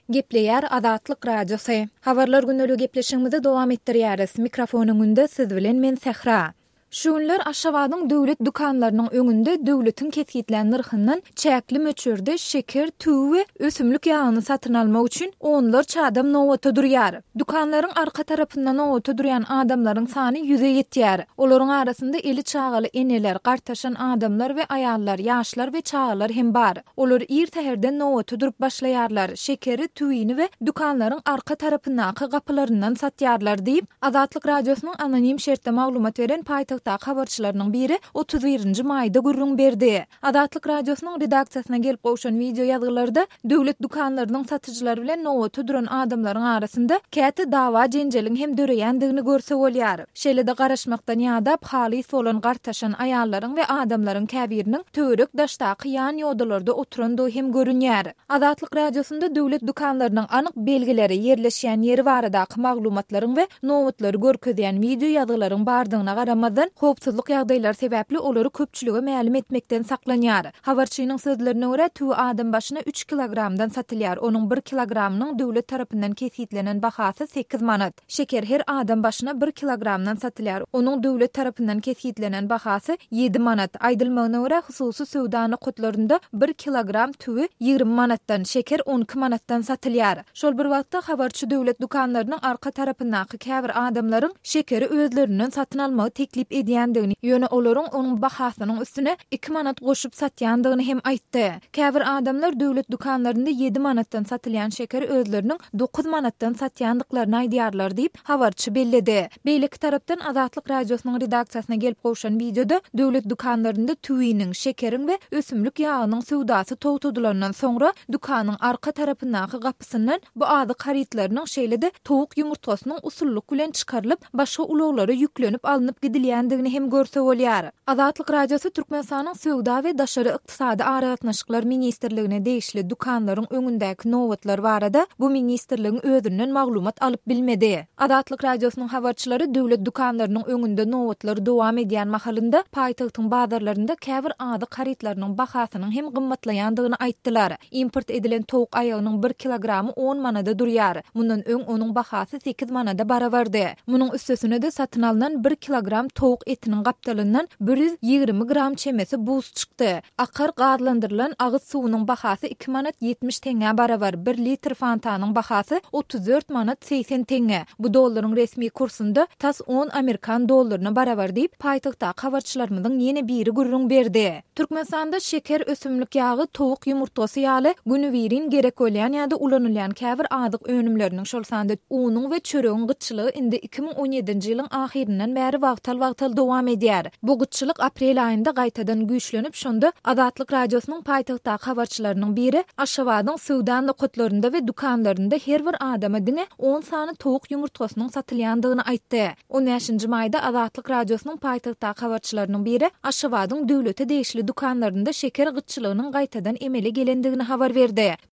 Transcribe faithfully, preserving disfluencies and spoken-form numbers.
Gepleýär Azatlyk Radiosy. Habarlar gündeligi gepleşigimizi dowam etdirýäris. Mikrofon öňünde siz bilen men Sähra. Şu günler Aşgabadyň döwlet dükanlarynyň öňünde döwletiň kesgitlän nyrhyndan çäkli möçberde şeker, tüwi we ösümlik ýagyny satyn almak üçin onlarça adam nobata durýar. Dükanlaryň arka tarapynda nobata durýan adamlaryň sany ýüze ýetýär. Olaryň arasynda eli çagaly eneler, gartaşan adamlar we aýallar, ýaşlar we çagalar hem bar. Olar ir säherden nobata durup başlaýarlar, şekeri, tüwini we dükanlaryň arka tarapyndaky gapylaryndan satýarlar diýip, Azatlyk Radiosynyň anonim şertde maglumat beren paýtagtdaky habarçylarynyň biri otuz birinji maýda gürrüň berdi. Azatlyk Radiosynyň redaksiýasyna gelip gowşan wideo ýazgylarda döwlet dükanlarynyň satyjylary bilen nobata duran adamlaryň arasynda käte dawa-jenjeliň hem döreýändigini görse bolýar. Şeýle-de garaşmakdan ýadap halys bolan gartaşan aýallaryň we adamlaryň käbiriniň töwerek-daşdaky ýan ýodalarda oturandygy hem görünýär. Azatlyk Radiosynda döwlet dükanlarynyň anyk belgileri, ýerleşýän ýeri baradaky maglumatlaryň we nobatlary görkezýän wideo ýazgylaryň bardygyna garamazdan, howpsuzlyk ýagdaýlary sebäpli olary köpçülige mälim etmekden saklanýar. Habarçynyň sözlerine görä, tüwi adam başyna üç kilogramdan satylýar, onuň bir kilogramynyň döwlet tarapyndan kesgitlenen bahasy sekiz manat. Şeker her adam başyna bir kilogramdan satylýar, onuň döwlet tarapyndan kesgitlenen bahasy ýedi manat. Aýdylmagyna görä, hususy söwda nokatlarynda bir kilogram tüwi ýigrimi manatdan, şeker on iki manatdan satylýar. Şol bir wagtda, habarçy döwlet dükanlarynyň arka tarapyndaky käbir adamlaryň şekeri özlerinden satyn almagy teklip edýändigini, ýöne olaryň onuň bahasynyň üstüne iki manat goşup satýandygyny hem aýtdy. Käbir adamlar döwlet dükanlarynda ýedi manatdan satylýan şekeri özleriniň dokuz manatdan satýandyklaryny aýdýarlar diýip, habarçy belledi. Beýleki tarapdan Azatlyk Radiosynyň redaksiýasyna gelip gowşan wideoda döwlet dükanlarynda tüwiniň, şekeriň we ösümlik ýagynyň söwdasy togtadylandan soňra dükanyň arka tarapyndaky gapysyndan bu azyk harytlarynyň şeýle-de towuk ýumurtgasynyň usullyk bilen çykarylyp, başga ulaglara ýüklenip alnyp gidilýändigini hem görse bolýar. Azatlyk Radiosy Türkmenistanyň Söwda we daşary ykdysady aragatnaşyklar ministrligine degişli dükanlaryň öňündäki nobatlar barada bu ministrligiň özünden maglumat alyp bilmedi. Azatlyk Radiosynyň habarçylary döwlet dükanlarynyň öňünde nobatlar dowam edýän mahalynda paýtagtyň bazarlarynda käbir azyk harytlarynyň bahasynyň hem gymmatlaýandygyny aýtdylar. Import edilen towuk aýagynyň bir kilogramy on manada durýar. Mundan öň onuň bahasy sekiz manada barabardy. Munuň üstesine-de satyn alnan bir kilogram towuk etiniň gapdalyndan bir ýüz ýigrimi gram çemesi buz çykdy. Akar gazlandyrylan agyz suwunyň bahasy iki manat ýetmiş teňňä barabar, bir litr fantanyň bahasy otuz dört manat segsen teňňe. Bu dollaryň resmi kursunda tas on amerikan dollaryna barabar diýip, paýtagtdaky habarçylarymyzyň ýene biri gürrüň berdi. Türkmenistanda şeker, ösümlik ýagy, towuk ýumurtgasy ýaly günübirin gerek bolýan ýa-da ulanylýan käbir azyk önümleriniň, şol sanda unuň we çöregiň gytçylygy indi iki müň on ýedinji ýylyň ahyryndan bäri wagtal-wagtal dowam edýär. Bu gytçylyk aprel aýynda gaýtadan güýçlenip, şonda Azatlyk Radiosynyň paýtagtdaky habarçylarynyň biri Aşgabadyň söwda nokatlarynda we dükanlarynda her bir adama diňe on sany towuk ýumurtgasynyň satylýandygyny aýtdy. On bäşinji maýda Azatlyk Radiosynyň paýtagtdaky habarçylarynyň biri Aşgabadyň döwlete degişli dükanlarynda şeker gytçylygynyň gaýtadan emele gelendigini habar berdi.